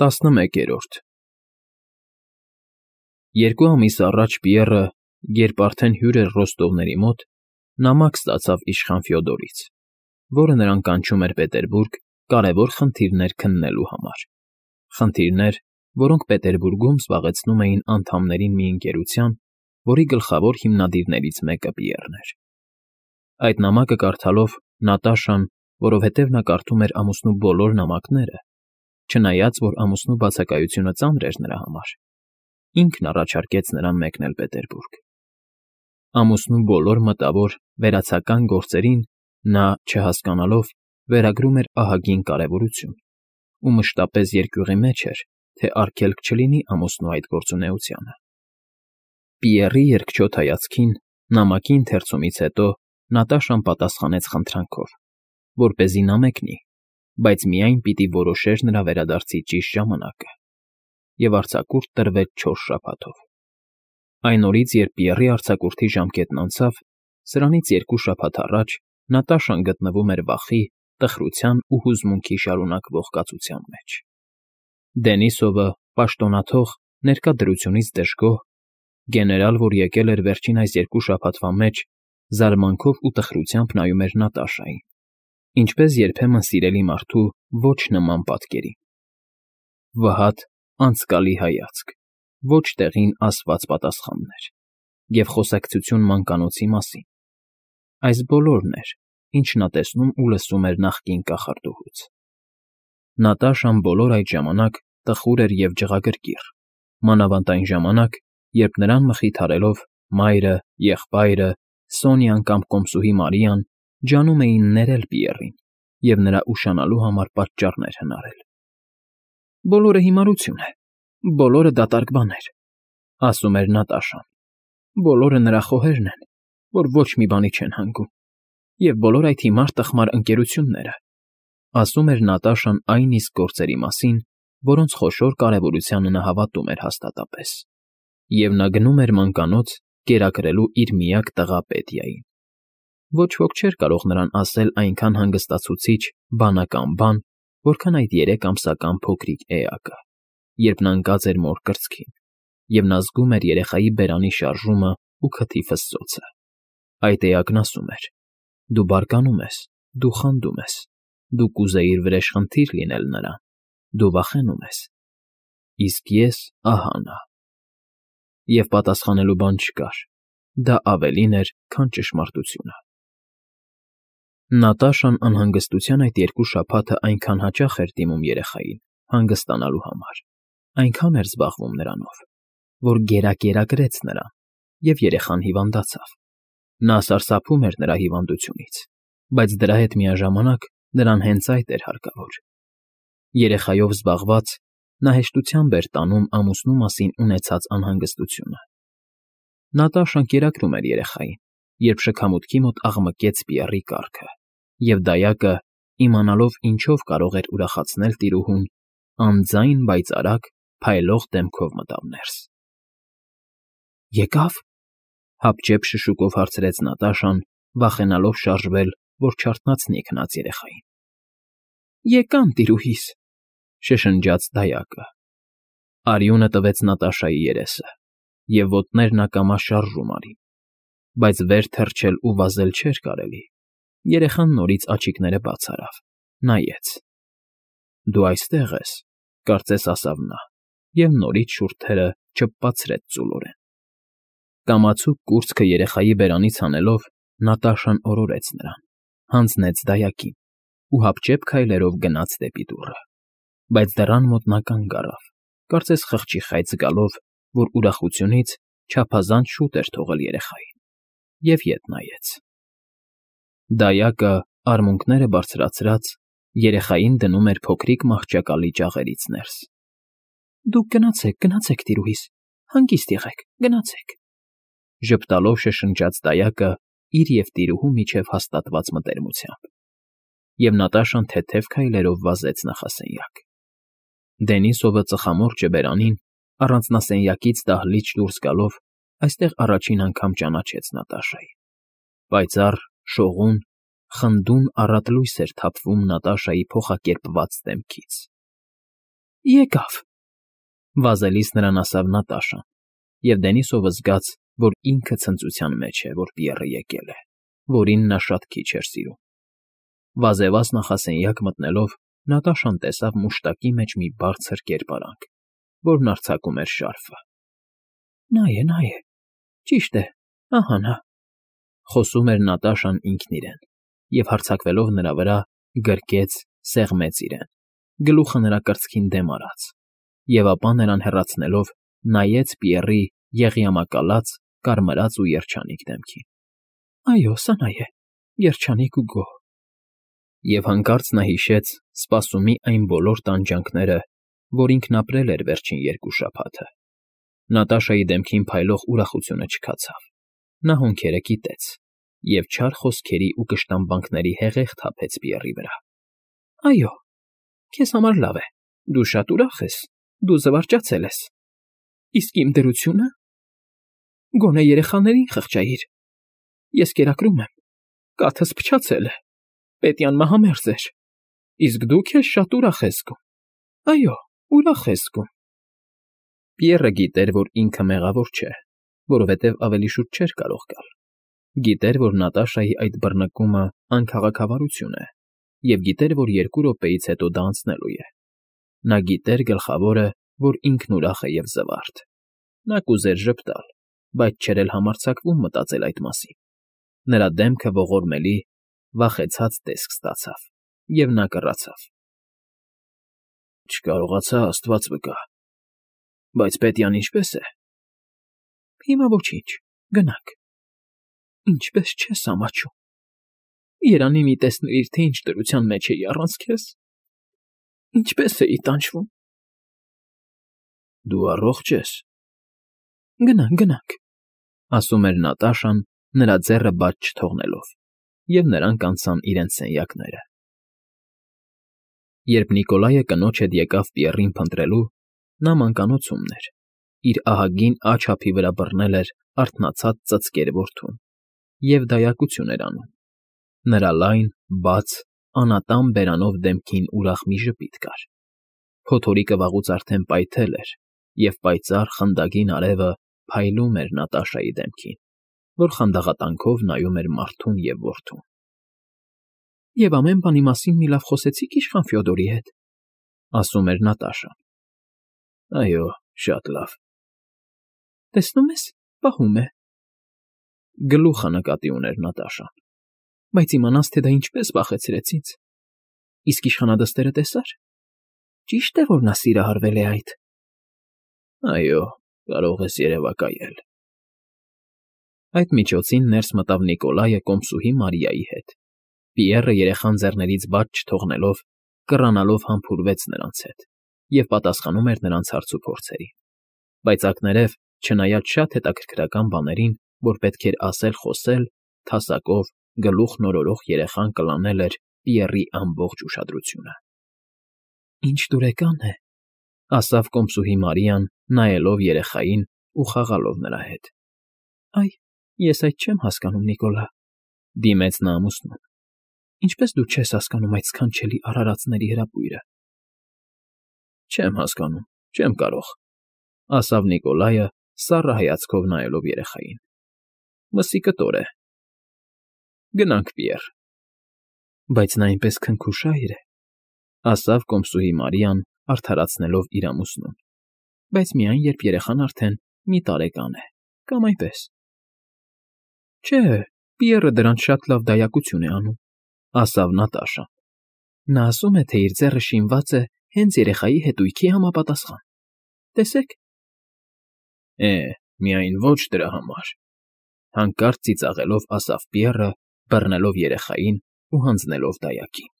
11 Երկու ամիս առաջ Պիեռը, երբ արդեն հյուր էր Ռոստովների մոտ, նամակ ստացավ իշխան Ֆյոդորից, որը նրան կանչում էր Պետերբուրգ կարևոր խնդիրներ քննելու համար, խնդիրներ, որոնք Պետերբուրգում զբաղեցնում էին անդամներին մի ընկերության, որի գլխավոր հիմնադիրներից մեկը Պիեռն էր։ Այդ նամակը կարդալով Նատաշան, որովհետև նա կարդում էր ամուսնու բոլոր նամակները, չնայած որ ամուսնու բացակայությունը ծանր էր նրա համար, ինքն առաջարկեց նրան մեկնել Պետերբուրգ։ Ամուսնու բոլոր մտավոր վերացական գործերին նա, չհասկանալով, վերագրում էր ահագին կարևորություն ու մշտապես երկյուղի մեջ էր, թե արգելք չլինի ամուսնու այդ գործունեությանը։ Պիեռի երկչոտ հայացքին նամակի ընթերցումից հետո Նատաշան պատասխանեց խնդրանքով, որպեսզի նա մեկնի, բայց միայն պիտի որոշեր նրա վերադարձի ճիշտ ժամանակը, և արձակուրդ տրվեց 4 շաբաթով։ Այն օրից, երբ Պիեռի արձակուրդի ժամկետն անցավ, սրանից 2 շաբաթ առաջ Նատաշան գտնվում էր վախի, տխրության ու հուզմունքի շարունակվող կացության մեջ։ Դենիսովը, պաշտոնաթող, ներկա դրությունից դժգոհ, գեներալ, որ եկել էր վերջին այս 2 շաբաթվա մեջ, զարմանքով ու տխրությամբ նայում էր Նատաշային, ինչպես երբեմն սիրելի մարդու ոչ նման պատկերին։ Վհատ, անցկալի հայացք, ոչ տեղին ասված պատասխաններ և խոսակցություն մանկանոցի մասին։ Այս բոլորն էր, ինչ նա տեսնում ու լսում էր նախկին կախարդուհուց։ Նատաշան բոլոր այդ ժամանակ տխուր էր և ջղագրկիռ, մանավանդ այն ժամանակ, երբ նրան մխիթարելով մայրը, եղբայրը, Սոնյան կամ կոմսուհի Մարիան ջանում էին ներել Պիեռին և նրա ուշանալու համար պատճառներ հնարել։ «Բոլորը հիմարություն է, բոլորը դատարկ բաներ», ասում էր Նատաշան։ «Բոլորը նրա խոհերն են, որ ոչ մի բանի չեն հանգում, և բոլոր այդ հիմար տխմար ընկերությունները», ասում էր Նատաշան այն իսկ գործերի մասին, որոնց խոշոր կարևորությանը նա հավատում էր հաստատապես, և նա գնում էր մանկանոց կերակրելու իր միակ տղա Պետիային։ Ոչ ոք չէր կարող նրան ասել այնքան հանգստացուցիչ, բանական բան, որքան այդ 3 ամսական փոքրիկ էակը, երբ նա ընկած էր մոր կրծքին, և նա զգում էր երեխայի բերանի շարժումը ու քթի ֆսսոցը։ Այդ էակն ասում էր. «Դու բարկանում ես, դու խանդում ես, դու կուզեիր վրեժխնդիր լինել նրան, դու վախենում ես, իսկ ես ահա նա»։ Եվ պատասխանելու բան չկար, դա ավելին էր, քան ճշմարտությունը։ Նատաշան անհանգստության այդ 2 շաբաթը այնքան հաճախ էր դիմում երեխային, հանգստանալու համար, այնքան էր զբաղվում նրանով, որ գերակերակրեց նրան, և երեխան հիվանդացավ։ Նա սարսափում էր նրա հիվանդությունից, բայց դրա հետ միաժամանակ նրան հենց այդ էր հարկավոր։ Երեխայով զբաղված՝ նա հեշտությամբ էր տանում ամուսնու մասին ունեցած անհանգստությունը։ Նատաշան կերակրում էր երեխային, երբ շքամուտքի մոտ աղմկեց Պիեռի կառքը, և դայակը, իմանալով ինչով կարող էր ուրախացնել տիրուհուն, անձայն, բայց արագ, փայլող դեմքով մտավ ներս։ «Եկա՞վ», հապճեպ շշուկով հարցրեց Նատաշան, վախենալով շարժվել, որ չարթնացնի քնած երեխային։ «Եկան, տիրուհիս», շշնջաց դայակը։ Արյունը տվեց Նատաշայի երեսը, և ոտներն ակամա շարժում արին, բայց վեր թռչել ու վազել չէր կարելի։ Երեխան նորից աչիկները բաց արավ, նայեց։ «Դու այստեղ ես», կարծես ասավ նա, և նորից շուրթերը չփփացրեց ծուլորեն։ Կամացուկ կուրծքը երեխայի բերանից հանելով, Նատաշան օրորեց նրան, հանձնեց դայակին ու հապճեպ քայլերով գնաց դեպի դուռը։ Բայց դռան մոտ նա կանգ առավ, կարծես խղճի խայծ զգալով, որ ուրախությունից չափազանց շուտ էր թողել երեխային, և ետ նայեց։ Դայակը, արմունկները բարձրացրած, երեխային դնում էր փոքրիկ մահճակալի ճաղերից ներս։ «Դուք գնացեք, տիրուհիս, հանգիստ եղեք, գնացեք», ժպտալով շշնջաց դայակը իր և տիրուհու միջև հաստատված մտերմությամբ։ Եվ Նատաշան թեթև քայլերով վազեց նախասենյակ։ Դենիսովը ծխամորճը բերանին, առանձնասենյակից դահլիճ դուրս գալով, այստեղ առաջին անգամ ճանաչեց Նատաշային։ Պայծառ, շողուն, խնդուն առատ լույս էր թափվում Նատաշայի փոխակերպված դեմքից։ Եկավ։ Վազելիս նրան ասավ Նատաշան, և Դենիսովը զգաց, որ ինքը ցնծության մեջ է, որ Պիեռը եկել է, որին նա շատ քիչ էր սիրում։ Վազեված նախասենյակ մտնելով Նատաշան տեսավ մուշտակի մեջ մի բարձր կերպարանք, որն արձակում էր շարֆը։ Նա է, ճիշտ է, ահա նա, խոսում էր Նատաշան ինքն իրեն, և հարձակվելով նրա վրա, գրկեց, սեղմեց իրեն, գլուխը նրա կրծքին դեմ արած, և ապա նրան հեռացնելով նայեց Պիեռի եղյամակալած, կարմրած ու երջանիկ դեմքին։ Այո, սա նա է, երջանիկ ու գոհ։ Եվ հանկարծ նա հիշեց սպասումի այն բոլոր տանջանքները, որ ինքն ապրել էր վերջին 2 շաբաթը։ Նատաշայի դեմքին փայլող ուրախությունը չքացավ։ Նա հոնքերը կիտեց և չար խոսքերի ու կշտամբանքների հեղեղ թափեց Պիեռի վրա։ Այո, քեզ համար լավ է, դու շատ ուրախ ես, դու զվարճացել ես։ Իսկ իմ դրությո՞ւնը։ Գոնե երեխաներին խղճայիր։ Ես կերակրում եմ, կաթս փչացել է, պետյան մահամերձ էր, իսկ դու քեզ շատ ուրախ ես զգում։ Այո, ուրախ ես զգում։ Պիեռը գիտեր, որ ինքը մեղավոր չէ, որովհետև ավելի շուտ չէր կարող գալ։ Գիտեր, որ Նատաշայի այդ բռնկումը անքաղաքավարություն է, և գիտեր, որ 2 րոպեից հետո դա անցնելու է։ Նա գիտեր գլխավորը, որ ինքն ուրախ է և զվարթ։ Նա կուզեր ժպտալ, բայց չէր էլ համարձակվում մտածել այդ մասին։ Նրա դեմքը ողորմելի, վախեցած տեսք ստացավ, և նա կռացավ։ Չկարողացա, Աստված վկա, բայց պետյան ինչպե՞ս է։ Հիմա ոչինչ, գնանք։ Ինչպես չես ամաչում։ Երանի մի տեսնեիր, թե ինչ դրության մեջ էի առանց քեզ։ Ինչպես էի տանջվում։ Դու առողջ ես։ Գնանք, ասում էր Նատաշան, նրա ձեռը բաց չթողնելով, և նրանք անցան իրենց սենյակները։ Երբ Նիկոլայը կնոջ հետ եկավ Պիեռին փնտրելու, նա մանկանոցումն էր, իր ահագին աջ ափի վրա բռնել էր արթնացած ծծկեր որդուն և դայակություն էր անում։ Նրա լայն, բաց, անատամ բերանով դեմքին ուրախ մի ժպիտ կար։ Փոթորիկը վաղուց արդեն պայթել էր, և պայծառ խնդագին արևը փայլում էր Նատաշայի դեմքին, որ խանդաղատանքով նայում էր մարդուն և որդուն։ Եվ ամեն բանի մասին մի լավ խոսեցի՞ք իշխան Ֆյոդորի հետ, ասում էր Նատաշան։ Այո, շատ լավ։ Տեսնում ես, պահում է։ Գլուխը նկատի ուներ Նատաշան։ Բայց իմանաս, թե դա ինչպես վախեցրեց ինձ։ Իսկ իշխանադստերը տեսա՞ր։ Ճիշտ է, որ նա սիրահարվել է այդ։ Այո, կարող ես երևակայել։ Այդ միջոցին ներս մտավ Նիկոլայը կոմսուհի Մարիայի հետ։ Պիեռը երեխան ձեռներից բաց չթողնելով, կռանալով համբուրվեց նրանց հետ և պատասխանում էր նրանց հարցուփորձերին։ Բայց ակներև, չնայած շատ հետաքրքրական բաներին, որ պետք էր ասել֊խոսել, թասակով, գլուխն օրորող երեխան կլանել էր Պիեռի ամբողջ ուշադրությունը։ Ինչ դուրեկան է, ասավ կոմսուհի Մարիան, նայելով երեխային ու խաղալով նրա հետ։ Այ, ես այդ չեմ հասկանում, Նիկոլա, դիմեց նա ամուսնուն։ Ինչպես դու չես հասկանում այդ սքանչելի արարածների հրապույրը։ Չեմ հասկանում, չեմ կարող, ասավ Նիկոլայը, սառը հայացքով նայելով երեխային։ Մսի կտոր է։ Գնանք, Պիեռ։ Բայց նա այնպես քնքուշայր է, ասավ կոմսուհի Մարիան, արդարացնելով իր ամուսնուն։ Բայց միայն, երբ երեխան արդեն մի տարեկան է, կամ այնպես։ Չէ, Պիեռը դրանց շատ լավ դայակություն է անում, ասավ Նատաշան։ Նա ասում է, թե իր ձեռը շինված է հենց երեխայի հետույքի համապատասխան։ Տեսեք։ Միայն ոչ դրա համար, հանկարծ ծիծաղելով ասավ Պիեռը, բռնելով երեխային ու հանձնելով դայակին։